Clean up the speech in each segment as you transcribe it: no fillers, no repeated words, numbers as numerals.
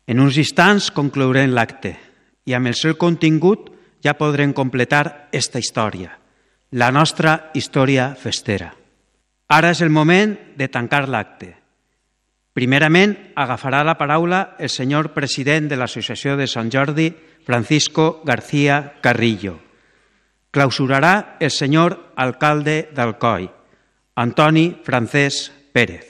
En uns instants conclourem l'acte i amb el seu contingut ja podrem completar esta història, la nostra història festera. Ara és el moment de tancar l'acte. Primerament, agafarà la paraula el senyor president de l'Associació de Sant Jordi, Francisco García Carrillo. Clausurarà el senyor alcalde d'Alcoi, Antoni Francesc Pérez.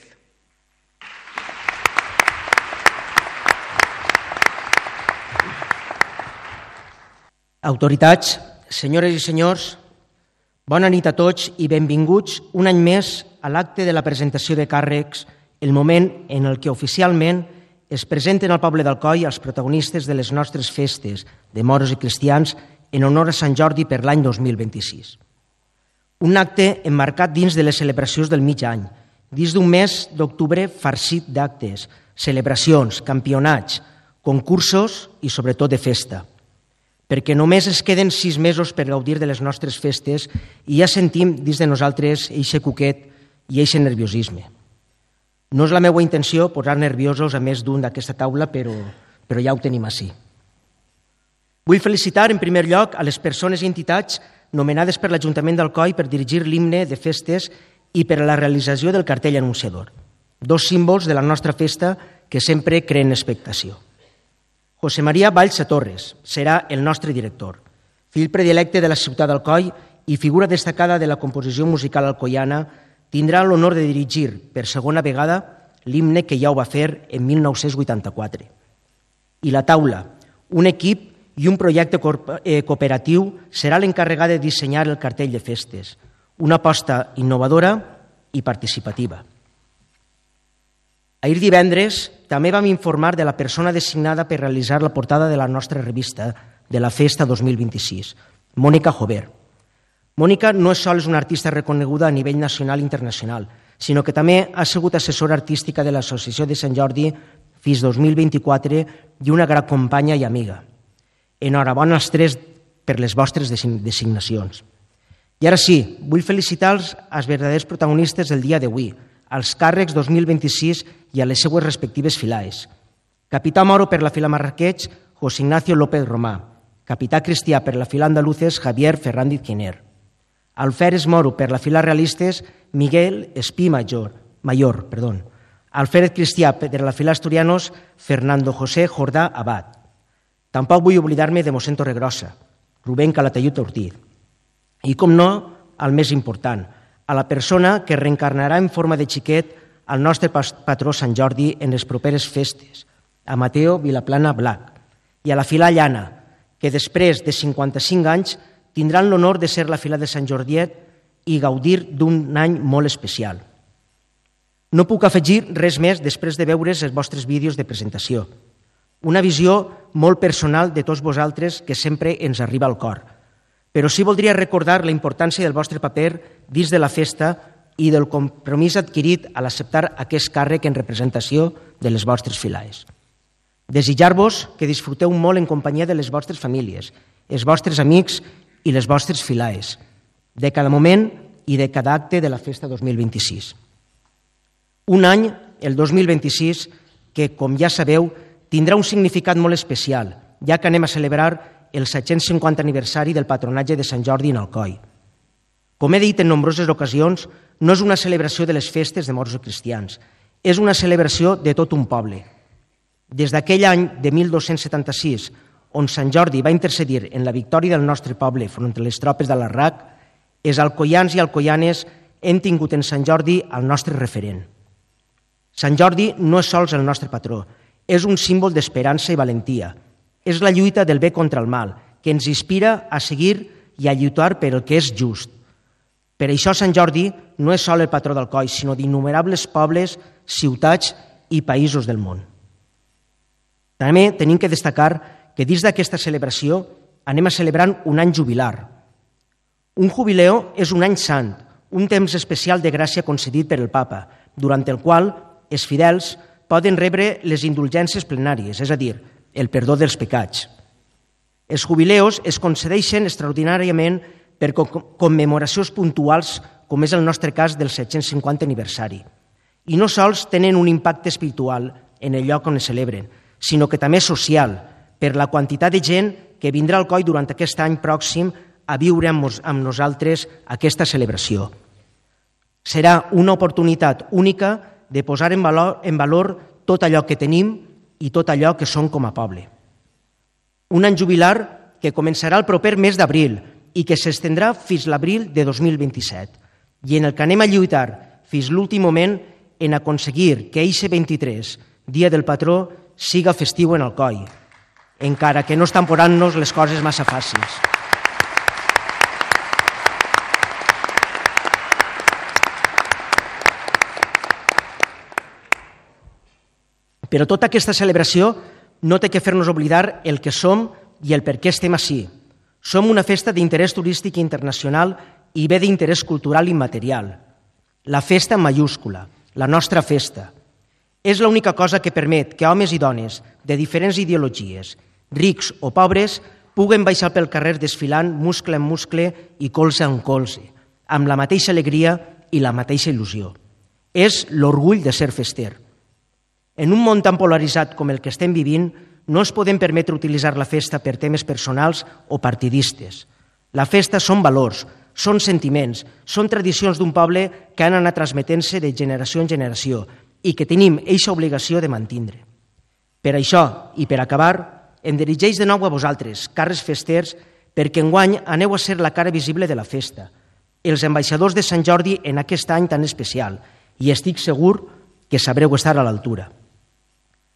Autoritats, senyores i senyors, bona nit a tots i benvinguts un any més a l'acte de la presentació de càrrecs, el moment en el que oficialment es presenten al poble d'Alcoi els protagonistes de les nostres festes de moros i cristians en honor a Sant Jordi per l'any 2026. Un acte emmarcat dins de les celebracions del mig any, dins d'un mes d'octubre farcit d'actes, celebracions, campionats, concursos i sobretot de festa. Perquè només es queden 6 mesos per gaudir de les nostres festes i ja sentim dins de nosaltres eixe cuquet i eixe nerviosisme. No és la meva intenció posar nerviosos a més d'un d'aquesta taula, però ja ho tenim així. Vull felicitar en primer lloc a les persones i entitats nomenades per l'Ajuntament d'Alcoi per dirigir l'himne de festes i per a la realització del cartell anunciador, 2 símbols de la nostra festa que sempre creen expectació. José María Valls Torres serà el nostre director, fill predilecte de la ciutat d'Alcoi i figura destacada de la composició musical alcoiana, tindrà l'honor de dirigir per segona vegada l'himne que ja ho va fer en 1984. I la taula, un equip i un projecte cooperatiu serà l'encarregat de dissenyar el cartell de festes, una aposta innovadora i participativa. Ahir divendres també vam informar de la persona designada per realitzar la portada de la nostra revista de la Festa 2026, Mònica Jover. Mònica no és sols una artista reconeguda a nivell nacional i internacional, sinó que també ha sigut assessora artística de l'Associació de Sant Jordi fins 2024 i una gran companya i amiga. Enhorabona als 3 per les vostres designacions. I ara sí, vull felicitar els verdaders protagonistes del dia d'avui, als càrrecs 2026 i a les seues respectives filaes. Capità moro per la fila Marrakech, José Ignacio López Romà. Capità cristià per la fila Andaluces, Javier Ferrandiz Giner. Alferes moro per la fila Realistes, Miguel Espí Mayor. Alférez cristià per la fila Asturianos, Fernando José Jordà Abad. Tampoc vull oblidar-me de mossèn Torregrossa, Rubén Calatayud Ortiz. I, com no, el més important, a la persona que reencarnarà en forma de xiquet al nostre patró Sant Jordi en les properes festes, a Mateo Vilaplana Blac, i a la fila Llana, que després de 55 anys tindran l'honor de ser la fila de Sant Jordiet i gaudir d'un any molt especial. No puc afegir res més després de veure els vostres vídeos de presentació. Una visió molt personal de tots vosaltres que sempre ens arriba al cor. Però sí voldria recordar la importància del vostre paper dins de la festa i del compromís adquirit a l'acceptar aquest càrrec en representació de les vostres filaes. Desitjar-vos que disfruteu molt en companyia de les vostres famílies, els vostres amics i les vostres filaes, de cada moment i de cada acte de la festa 2026. Un any, el 2026, que, com ja sabeu, tindrà un significat molt especial, ja que anem a celebrar el 750 aniversari del patronatge de Sant Jordi en Alcoi. Com he dit en nombroses ocasions, no és una celebració de les festes de moros i cristians, és una celebració de tot un poble. Des d'aquell any de 1276, on Sant Jordi va intercedir en la victòria del nostre poble front a les tropes de l'Arrac, els alcoians i alcoianes hem tingut en Sant Jordi el nostre referent. Sant Jordi no és sols el nostre patró, és un símbol d'esperança i valentia. És la lluita del bé contra el mal, que ens inspira a seguir i a lluitar per el que és just. Per això Sant Jordi no és sol el patró d'Alcoi, sinó d'innumerables pobles, ciutats i països del món. També tenim que destacar que dins d'aquesta celebració anem a celebrant un any jubilar. Un jubileu és un any sant, un temps especial de gràcia concedit per el Papa, durant el qual els fidels poden rebre les indulgències plenàries, és a dir, el perdó dels pecats. Els jubileus es concedeixen extraordinàriament per commemoracions puntuals, com és el nostre cas del 750 aniversari. I no sols tenen un impacte espiritual en el lloc on es celebren, sinó que també social, per la quantitat de gent que vindrà al COI durant aquest any pròxim a viure amb nosaltres aquesta celebració. Serà una oportunitat única de posar en valor tot allò que tenim i tot allò que som com a poble. Un any jubilar que començarà el proper mes d'abril i que s'estendrà fins l'abril de 2027 i en el que anem a lluitar fins l'últim moment en aconseguir que eixe 23, dia del patró, siga festiu en el COI, encara que no estan posant-nos les coses massa fàcils. Però tota aquesta celebració no té que fer-nos oblidar el que som i el per què estem ací. Som una festa d'interès turístic internacional i bé d'interès cultural immaterial. La festa en mayúscula, la nostra festa. És l'única cosa que permet que homes i dones de diferents ideologies, rics o pobres, puguen baixar pel carrer desfilant muscle en muscle i colze en colze, amb la mateixa alegria i la mateixa il·lusió. És l'orgull de ser fester. En un món tan polaritzat com el que estem vivint, no es podem permetre utilitzar la festa per temes personals o partidistes. La festa són valors, són sentiments, són tradicions d'un poble que han anat transmetent-se de generació en generació i que tenim eixa obligació de mantindre. Per això, i per acabar, em dirigeix de nou a vosaltres, carres festers, perquè enguany aneu a ser la cara visible de la festa, els ambaixadors de Sant Jordi en aquest any tan especial, i estic segur que sabreu estar a l'altura.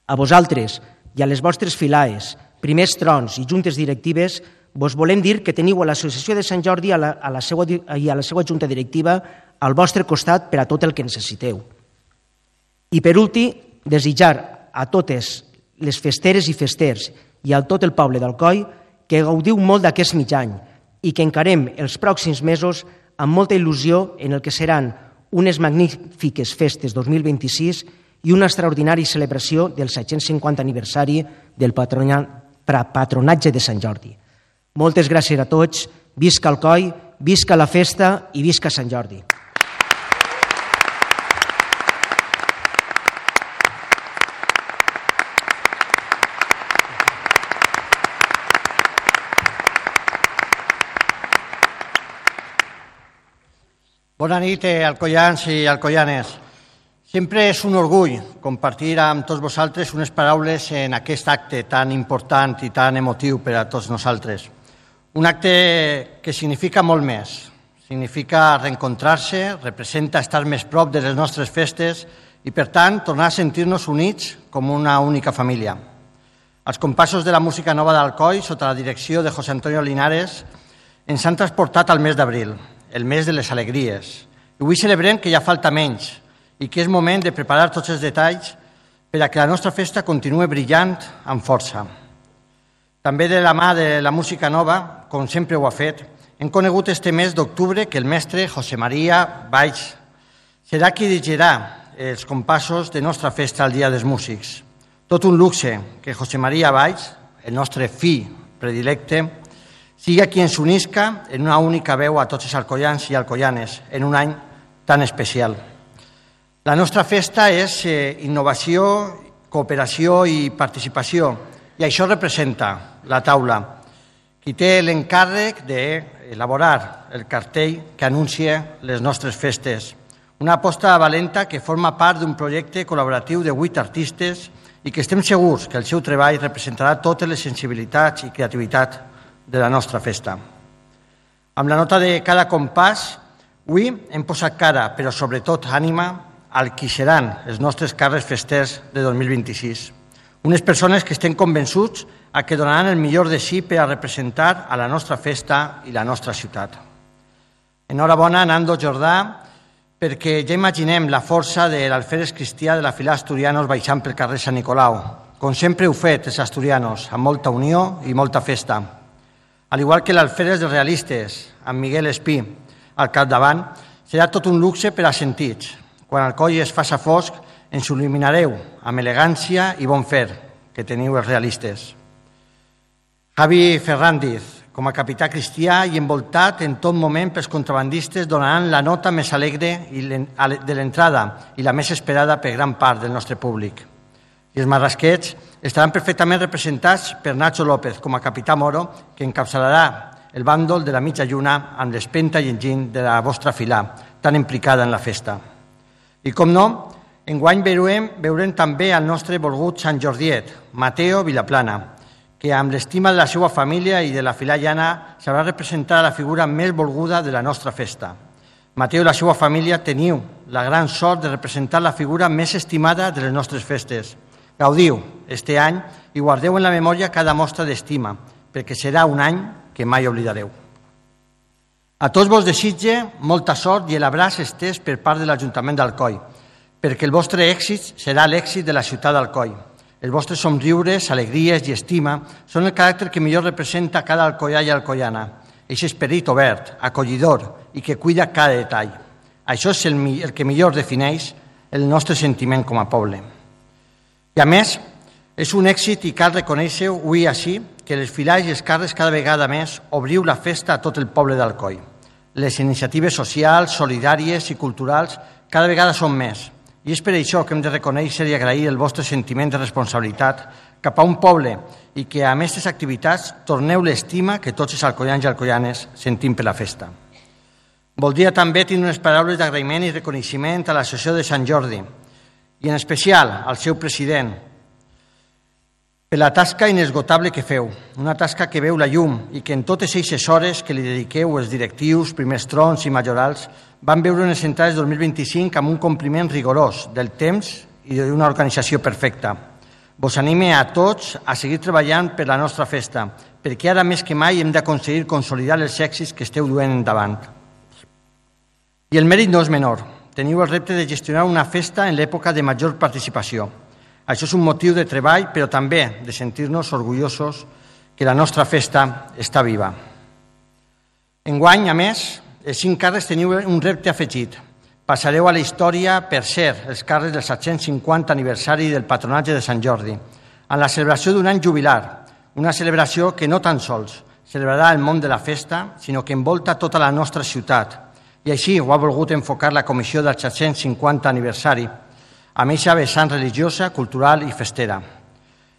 A vosaltres i a les vostres filaes, primers trons i juntes directives, vos volem dir que teniu a l'Associació de Sant Jordi i a la seva junta directiva al vostre costat per a tot el que necessiteu. I per últim, desitjar a totes les festeres i festers i a tot el poble d'Alcoi que gaudiu molt d'aquest mig any i que encarem els pròxims mesos amb molta il·lusió en el que seran unes magnífiques festes 2026 i una extraordinària celebració del 750 aniversari del patronatge de Sant Jordi. Moltes gràcies a tots, visca Alcoi, visca la festa i visca Sant Jordi. Bona nit, alcoians i alcoianes. Sempre és un orgull compartir amb tots vosaltres unes paraules en aquest acte tan important i tan emotiu per a tots nosaltres. Un acte que significa molt més. Significa reencontrar-se, representa estar més prop de les nostres festes i, per tant, tornar a sentir-nos units com una única família. Els compassos de la música nova d'Alcoi, sota la direcció de José Antonio Linares, ens han transportat al mes d'abril, el mes de les alegries. I avui celebrem que ja falta menys i que és moment de preparar tots els detalls per a que la nostra festa continuï brillant amb força. També de la mà de la música nova, com sempre ho ha fet, hem conegut este mes d'octubre que el mestre José María Valls serà qui dirigirà els compassos de nostra festa al Dia dels Músics. Tot un luxe que José María Valls, el nostre fill predilecte, siga qui ens unisca en una única veu a tots els alcoians i alcoianes en un any tan especial. La nostra festa és innovació, cooperació i participació, i això representa la taula, qui té l'encàrrec d'elaborar el cartell que anuncia les nostres festes. Una aposta valenta que forma part d'un projecte col·laboratiu de 8 artistes i que estem segurs que el seu treball representarà totes les sensibilitats i creativitat de la nostra festa. Amb la nota de cada compàs, avui hem posat cara, però sobretot ànima, al qui seran els nostres carres festers de 2026. Unes persones que estem convençuts que donaran el millor de si per a representar a la nostra festa i la nostra ciutat. Enhorabona, Nando Jordà, perquè ja imaginem la força de l'alferes cristià de la fila Asturianos baixant pel carrer Sant Nicolau, com sempre heu fet els asturianos, amb molta unió i molta festa. Al igual que l'alferes dels realistes, amb Miguel Espí al capdavant, serà tot un luxe per a sentits. Quan Alcoi es faça fosc, ens il·luminareu amb elegància i bon fer que teniu els realistes. Javi Ferrandiz, com a capità cristià i envoltat en tot moment pels contrabandistes, donaran la nota més alegre de l'entrada i la més esperada per gran part del nostre públic. I els marrasquets estaran perfectament representats per Nacho López com a capità Moro, que encapçalarà el bàndol de la mitja lluna amb l'espenta i enginy de la vostra filà, tan implicada en la festa. I com no, enguany veurem també el nostre volgut Sant Jordiet, Mateo Vilaplana, que amb l'estima de la seva família i de la filà llana sabrà representar la figura més volguda de la nostra festa. Mateo i la seva família teniu la gran sort de representar la figura més estimada de les nostres festes. Gaudiu este any i guardeu en la memòria cada mostra d'estima, perquè serà un any que mai oblidareu. A tots vos desitge molta sort i l'abraç estès per part de l'Ajuntament d'Alcoi, perquè el vostre èxit serà l'èxit de la ciutat d'Alcoi. Els vostres somriures, alegries i estima són el caràcter que millor representa cada alcoià i alcoiana, aquest esperit obert, acollidor i que cuida cada detall. Això és el que millor defineix el nostre sentiment com a poble. I a més, és un èxit i cal reconèixer-ho avui així que les filars i els carres cada vegada més obriu la festa a tot el poble d'Alcoi. Les iniciatives socials, solidàries i culturals cada vegada són més. I és per això que hem de reconèixer i agrair el vostre sentiment de responsabilitat cap a un poble i que amb aquestes activitats torneu l'estima que tots els alcoians i alcoianes sentim per la festa. Voldria també tenir unes paraules d'agraïment i reconeixement a l'Associació de Sant Jordi i en especial al seu president per la tasca inesgotable que feu, una tasca que veu la llum i que en totes aquestes hores que li dediqueu els directius, primers trons i majorals van veure unes entrades 2025 amb un compliment rigorós del temps i d'una organització perfecta. Vos anime a tots a seguir treballant per la nostra festa, perquè ara més que mai hem d'aconseguir consolidar els èxits que esteu duent endavant. I el mèrit no és menor. Teniu el repte de gestionar una festa en l'època de major participació. Això és un motiu de treball, però també de sentir-nos orgullosos que la nostra festa està viva. Enguany, a més, els 5 càrrecs teniu un repte afegit. Passareu a la història per ser els càrrecs del 750 aniversari del patronatge de Sant Jordi, en la celebració d'un any jubilar, una celebració que no tan sols celebrarà el món de la festa, sinó que envolta tota la nostra ciutat. I així ho ha volgut enfocar la comissió del 750 aniversari, amb eixa vessant religiosa, cultural i festera.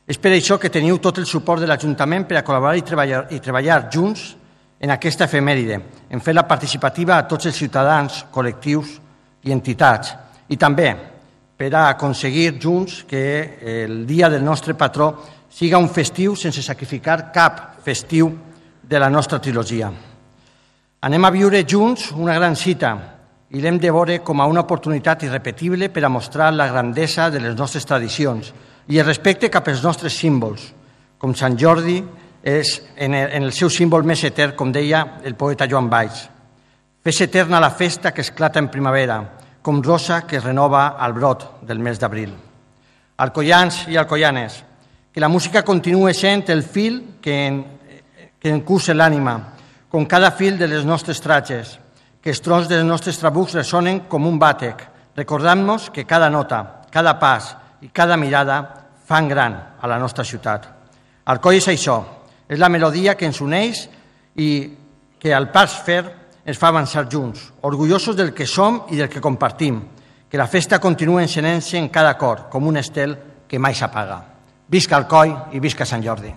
És per això que teniu tot el suport de l'Ajuntament per a col·laborar i treballar junts en aquesta efemèride, en fer-la participativa a tots els ciutadans, col·lectius i entitats, i també per a aconseguir junts que el dia del nostre patró siga un festiu sense sacrificar cap festiu de la nostra trilogia. Anem a viure junts una gran cita i l'hem de veure com a una oportunitat irrepetible per a mostrar la grandesa de les nostres tradicions i el respecte cap als nostres símbols, com Sant Jordi és en el seu símbol més etern, com deia el poeta Joan Valls. Fes eterna la festa que esclata en primavera, com rosa que es renova al brot del mes d'abril. Alcoians i alcoianes, que la música continue sent el fil que encusa l'ànima, com cada fil de les nostres tratges, que els trons dels nostres trabucs ressonen com un bàtec, recordant-nos que cada nota, cada pas i cada mirada fan gran a la nostra ciutat. Alcoi és això, és la melodia que ens uneix i que al pas fer ens fa avançar junts, orgullosos del que som i del que compartim, que la festa continua encenent-se en cada cor, com un estel que mai s'apaga. Visca Alcoi i visca Sant Jordi.